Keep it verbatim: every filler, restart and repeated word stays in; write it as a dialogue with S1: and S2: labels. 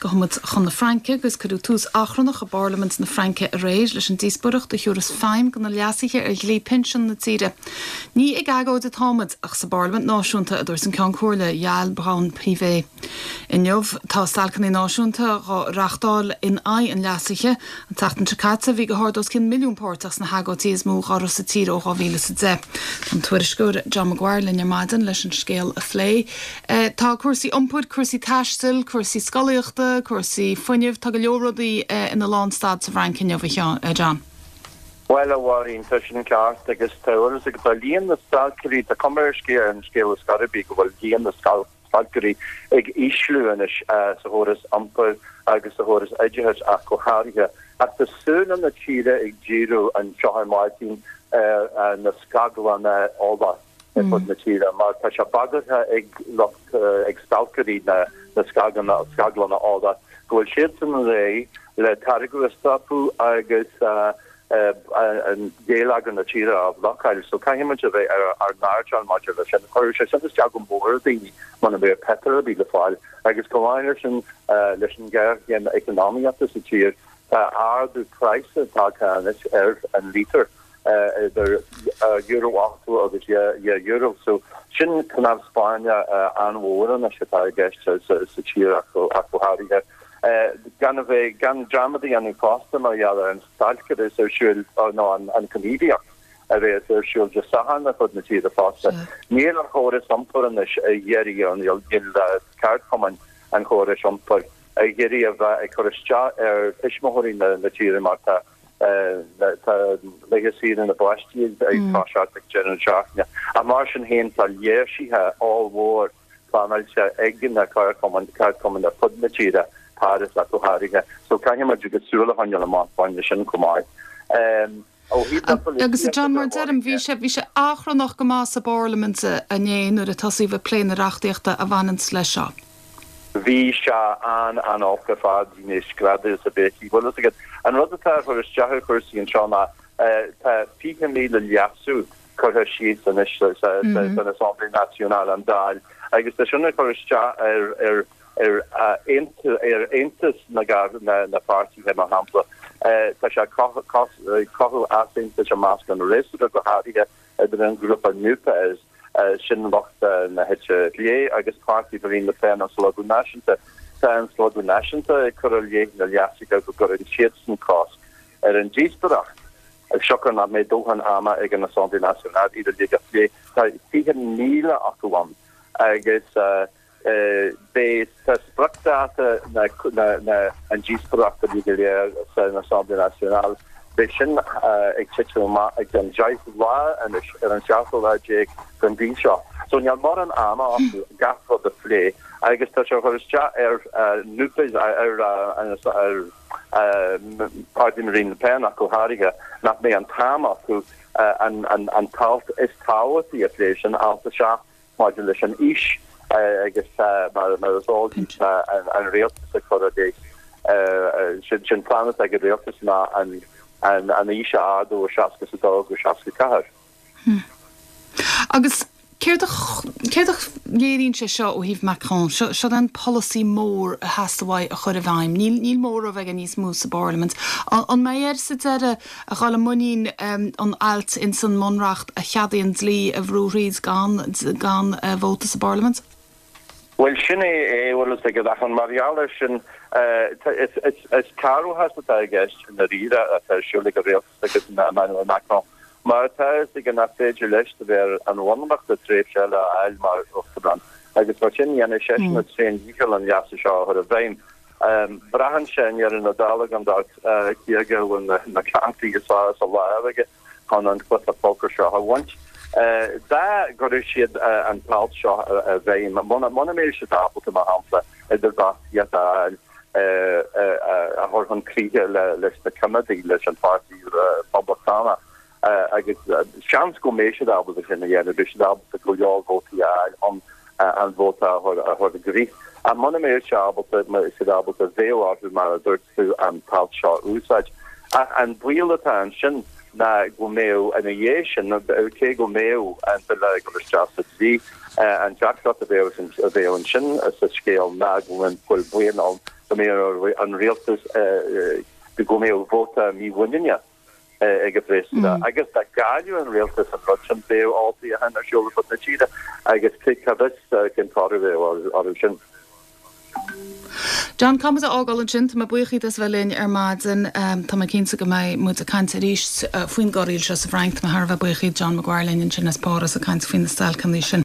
S1: Gabhfaidh muid chun na Fraince agus cuireadh tús achrannach i bParlaimint na Fraince aréir leis an díospóireacht a thabharfas feidhm do na leasuithe ar dhlí pinsean na tíre. Ní ag agóid atáimid ach sa bParlaimint Náisiúnta a dúirt an Ceann Comhairle Yaël Braun-Pivet. Inniu tá stailceanna náisiúnta á reáchtáil in aghaidh an leasaithe an tseachtain seo caite bhí go hard os cionn milliún páirteach sna hagóidí is mó dá raibh sa tír ó dhá mhíle is a deich. An tuairisceoir John Maguire linn ar maidin leis an scéal a phlé. Eh, tá cúrsaí iompair, cúrsaí taistil, cúrsaí scolaíochta, cúrsaí fuinnimh, tá go leor rudaí eh, ina lánstad sa Fhrainc inniu eh, John.
S2: Well a Mháirín tá sin ceart agus tá agus tá líon na stailceoirí tá cuma ar scéal an scéal is gairbí go bhfuil líon na stailceoirí ag ísliú anois sa chóras iompair agus sa chóras oideachais ach go háirithe. Ach tá súile na tíre ag díriú anseo ar maidin ar na scaglanna ola ar fud na tíre, mar tá sé bagartha ag lucht ag stailceoirí na na scaglanna scaglanna ola go bhfuil siad san réidh le táirgeadh a stopadh agus an geilleagar na tíre a bhlocáil, so caithfidh a bheith ar ar n-airdeall maidir leis sin chuir sé sin isteach go mór daoine muna mbeidh petrol le fáil agus go háirithe sin leis an ngéarchéim eacnamaíochta sa tír tá ardú praghas tagtha anois ar an lítear idir euro ochtó agus euro so sin cnámh spairne an-mhór anois atá i gceist sa tír ach go háirithe. gan a bheith gan dearmad a dhéanamh fosta mar gheall ar an stailc is ar siúl nó an an ghníomhaíocht a bheas ar siúl Dé Sathairn ar fud na tíre fosta. Níl an chóras iompair anois ag iarraidh an níl ceardchumainn an chórais iompair ag iarraidh a bheith ag cur isteach ar tuismitheoirí na na tíre mar tá tá laetha saoire na bpáistí ag toiseacht ag deireadh seachtaine. A mar sin féin tá léirsithe ollmhór pleanáilte ag na ceardchumainn ceardchumainn ar fud na tíre Paris ach go háirithe. So caithfidh muid agus súil a choinneáil amach fá sin chomh maith. Um,
S1: Agus John mar deirim bhí sé bhí sé achrannach go maith sa bParlaimint inné nuair a tosaíodh ag plé na reachtaíochta a bhaineann leis seo.
S2: Bhí sé an an-olc ar fad ní screadaíl sa béicí. Bhfuil agat an rud atá chur isteach chúrsaí anseo ná tá fiche míle leasú curtha síos anois san Assemblée Nationale an Dáil agus tá sin chur isteach ar ar ar ar aontas na na na páirtithe mar shampla. Tá sé cothú easaontais i measc an fhreasúra go háirithe idir an grúpa NUPES sin lucht na heite clé agus páirtí Marine Le Pen an Slógadh Náisiúnta. Tá an Slógadh Náisiúnta ag cur i leith na leasuithe go gcuireann siadsan cosc ar an díospóireacht. Ag siocair nach mbeidh dóthain ama ag an Assemblée Nationale iad uilig a phlé tá fiche míle acu ann agus beidh tá spriocdháta na na an díospóireacht a go léir san Assemblée Nationale. Beidh sin ag titim amach ag an deich lá anois ar an seachtú lá déag den mhí seo. So níl mórán ama acu gach rud a phlé agus tá sé chur isteach ar NUPES ar ar páirtí Marine Le Pen ach go háirithe nach mbeidh an t-am acu an an an t-alt is tábhachtaí a phlé sin alt a seacht maidir leis an aois agus mar mar is eol an rialtas ag cur i sin sin plean ag an rialtas ná an an an aois a ardú ó seasca a dó go seasca ceathair.
S1: Agus céard céard a léiríonn sé seo ó thaobh Macron, seo an polasaí mór a theastaigh uaidh a chur i bhfeidhm. Níl níl móramh aige níos mó sa bParlaimint. An mbeidh air sa deireadh a dhul i muinín an ailt in san mBunreacht a cheadaíonn dlí a bhrú thríd gan gan vóta sa bParlaimint?
S2: Well sin é é bhfuil ag ach an mar gheall air sin is cearrbhachas atá i gceist na ríre atá siúla go rialtas agus Emmanuel Macron. Mar tá ag an nach féidir leis de bheith an bhunreacht a tréimhse eile a fháil mar uachtarán agus mar sin dhéanfaidh seisean a thréandícheall an leasú seo a chur i bhfeidhm. Braitheann sé i ndeireadh na dála gan dabht cé aige a bhfuil na cártaí is fearr sa lámh aige chun an cluiche pócair seo a bhaint. Dá gcuirfeadh siad an t-alt seo i bhfeidhm, muna mbeidh siad ábalta mar shampla idirbheartaíocht a fháil a chur chun críche leis na coimeádaigh leis an pháirtí Poblachtánach agus seans go mbeidh siad ábalta sin a dhéanamh, beidh siad ábalta go leor vótaí a fháil chun an vóta a chur a chur i gcrích. Ach muna mbeidh sé ábalta siad ábalta bheadh orthu mar a dúirt tú an t-alt seo a úsáid. Ach an baol atá ansin ná go mbeadh ina dhiaidh sin, cé go mbeadh an bille ag dul isteach sa dlí, an deacracht a bheadh a bheadh ansin sa scéal ná go bhfuil baol ann go mbeadh an rialtas go mbeadh vóta mímhuiníne ag an bhfreasúra agus dá gcailleadh an rialtas an rud sin bheadh olltoghchán ar siúl ar fud na tíre agus cá bhfios cén toradh a bheadh orthu sin.
S1: John Caithfidh muid a fhágáil ansin tá mé buíoch díot as bheith linn ar maidin tá mé cinnte go mbeidh muid ag caint arís faoin gcorraíl seo sa Fhrainc, tá mé thar a bheith buíoch John Maguire linn ansin as Páras ag caint faoi na stailceanna sin.